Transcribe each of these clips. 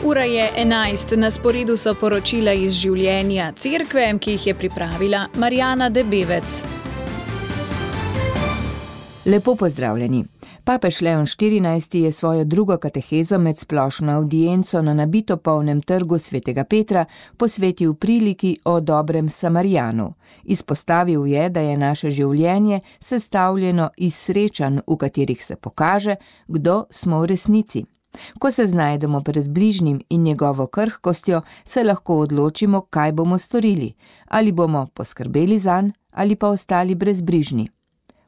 Ura je 11, na sporedu so poročila iz življenja cerkve, ki jih je pripravila Marjana Debevec. Lepo pozdravljeni. Papež Leon XIV je svojo drugo katehezo med splošno avdienco na nabito polnem trgu Svetega Petra posvetil priliki o dobrem Samarijanu. Izpostavil je, da je naše življenje sestavljeno iz srečanj, v katerih se pokaže, kdo smo v resnici. Ko se znajdemo pred bližnjim in njegovo krhkostjo, se lahko odločimo, kaj bomo storili. Ali bomo poskrbeli zanj, ali pa ostali brezbrižni.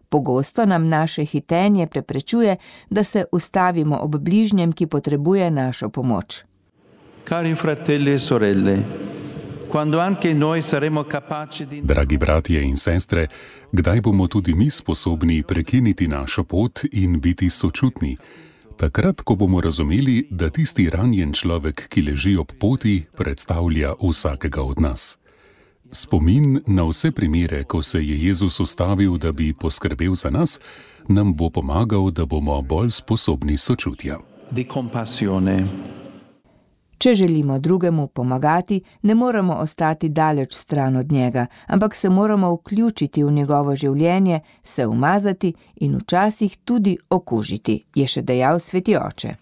Pogosto nam naše hitenje preprečuje, da se ustavimo ob bližnjem, ki potrebuje našo pomoč. Cari fratelli e sorelle, quando anche noi saremo capaci di... Dragi bratje in sestre, kdaj bomo tudi mi sposobni prekiniti našo pot in biti sočutni? Takrat, ko bomo razumeli, da tisti ranjen človek, ki leži ob poti, predstavlja vsakega od nas. Spomin na vse primere, ko se je Jezus ustavil, da bi poskrbel za nas, nam bo pomagal, da bomo bolj sposobni sočutja. Di compassione. Če želimo drugemu pomagati, ne moramo ostati daleč stran od njega, ampak se moramo vključiti v njegovo življenje, se umazati in včasih tudi okužiti, je še dejal sveti oče.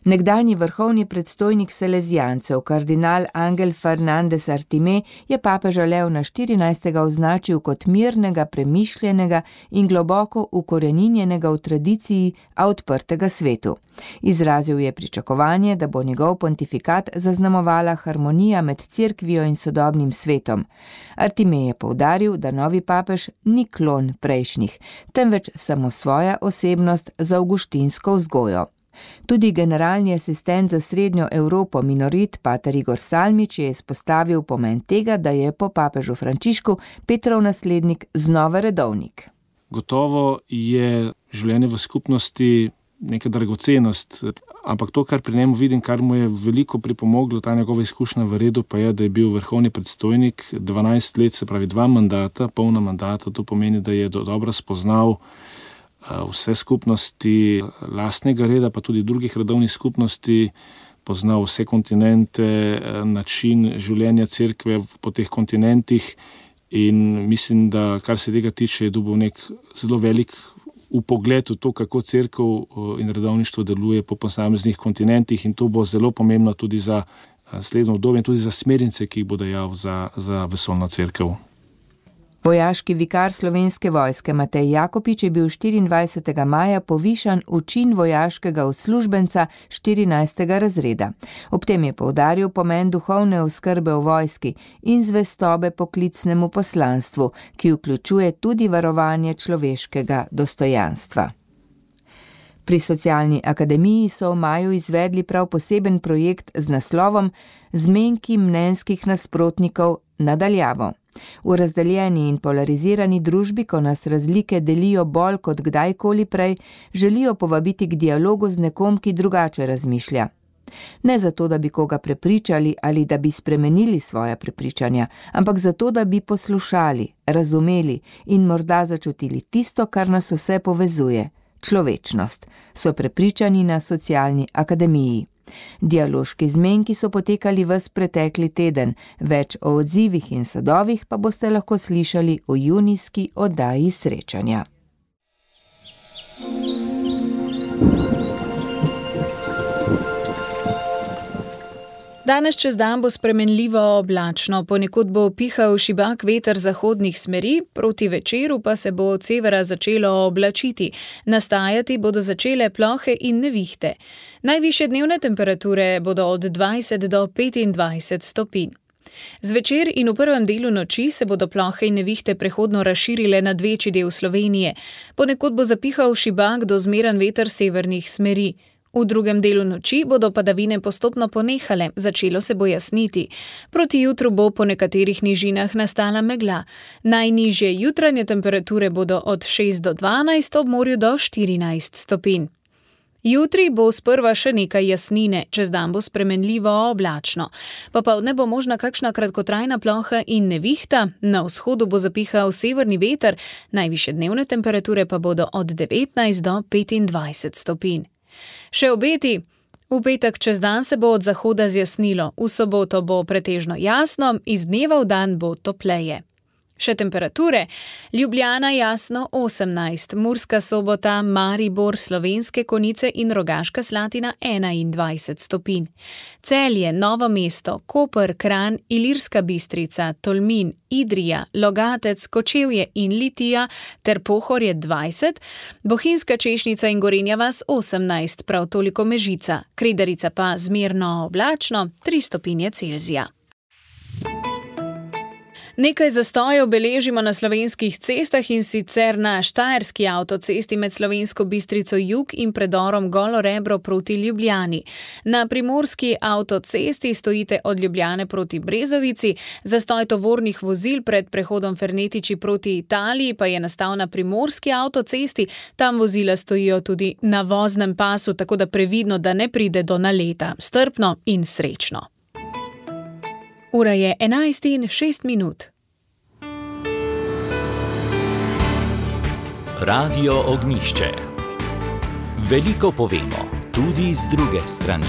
Nekdanji vrhovni predstojnik salezijancev, kardinal Ángel Fernández Artimé, je papeža Leona XIV. Označil kot mirnega, premišljenega in globoko ukoreninjenega v tradiciji, a odprtega svetu. Izrazil je pričakovanje, da bo njegov pontifikat zaznamovala harmonija med cerkvijo in sodobnim svetom. Artimé je poudaril, da novi papež ni klon prejšnjih, temveč samo svoja osebnost z avguštinsko vzgojo. Tudi generalni asistent za srednjo Evropo Minorit, pater Igor Salmič, je izpostavil pomen tega, da je po papežu Frančišku Petrov naslednik znova redovnik. Gotovo je življenje v skupnosti neka dragocenost, ampak to, kar pri njemu vidim, kar mu je veliko pripomoglo, ta njegova izkušnja v redu, pa je, da je bil vrhovni predstojnik 12 let, se pravi 2 mandata, polna mandata. To pomeni, da je dobro spoznal vse skupnosti lastnega reda, pa tudi drugih redovnih skupnosti, poznal vse kontinente, način življenja cerkve po teh kontinentih in mislim, da kar se tega tiče, je dobil nek zelo velik vpogled v to, kako cerkev in redovništvo deluje po posameznih kontinentih, in to bo zelo pomembno tudi za naslednjo obdobje in tudi za smernice, ki jih bo dajal za vesoljno cerkev. Vojaški vikar Slovenske vojske Matej Jakopič je bil 24. maja povišan v čin vojaškega uslužbenca 14. razreda. Ob tem je poudaril pomen duhovne oskrbe v vojski in zvestobe poklicnemu poslanstvu, ki vključuje tudi varovanje človeškega dostojanstva. Pri Socialni akademiji so v maju izvedli prav poseben projekt z naslovom Zmenki mnenjskih nasprotnikov nadaljavo. V razdeljeni in polarizirani družbi, ko nas razlike delijo bolj kot kdajkoli prej, želijo povabiti k dialogu z nekom, ki drugače razmišlja. Ne zato, da bi koga prepričali ali da bi spremenili svoja prepričanja, ampak zato, da bi poslušali, razumeli in morda začutili tisto, kar nas vse povezuje, človečnost, so prepričani na Socialni akademiji. Dialoški zmenki so potekali ves pretekli teden, več o odzivih in sadovih pa boste lahko slišali v junijski oddaji srečanja. Danes čez dan bo spremenljivo oblačno, ponekod bo pihal šibak veter zahodnih smeri, proti večeru pa se bo od severa začelo oblačiti. Nastajati bodo začele plohe in nevihte. Najvišje dnevne temperature bodo od 20 do 25 stopinj. Zvečer in v prvem delu noči se bodo plohe in nevihte prehodno razširile nad večji del Slovenije. Ponekod bo zapihal šibak do zmeren veter severnih smeri. V drugem delu noči bodo padavine postopno ponehale, začelo se bo jasniti. Proti jutru bo po nekaterih nižinah nastala megla. Najnižje jutranje temperature bodo od 6 do 12, ob morju do 14 stopinj. Jutri bo sprva še nekaj jasnine, čez dan bo spremenljivo oblačno. Popoldne bo možna kakšna kratkotrajna ploha in nevihta, na vzhodu bo zapihal severni veter, najvišje dnevne temperature pa bodo od 19 do 25 stopinj. Še obeti. V petek čez dan se bo od zahoda zjasnilo, v soboto bo pretežno jasno, iz dneva v dan bo topleje. Še temperature: Ljubljana jasno 18, Murska Sobota, Maribor, Slovenske Konjice in Rogaška Slatina 21 stopinj. Celje, Novo mesto, Koper, Kranj, Ilirska Bistrica, Tolmin, Idrija, Logatec, Kočevje in Litija ter Pohorje 20, Bohinjska Češnica in Gorenja vas 18, prav toliko Mežica, Kredarica pa zmerno oblačno 3 stopinje Celzija. Nekaj zastojev beležimo na slovenskih cestah, in sicer na štajerski avtocesti med Slovensko Bistrico jug in predorom Golo Rebro proti Ljubljani. Na primorski avtocesti stojite od Ljubljane proti Brezovici, zastoj tovornih vozil pred prehodom Fernetiči proti Italiji pa je nastal na primorski avtocesti, tam vozila stojijo tudi na voznem pasu, tako da previdno, da ne pride do naleta. Strpno in srečno. Ura je 11:06. Radio Ognjišče. Veliko povemo, tudi z druge strani.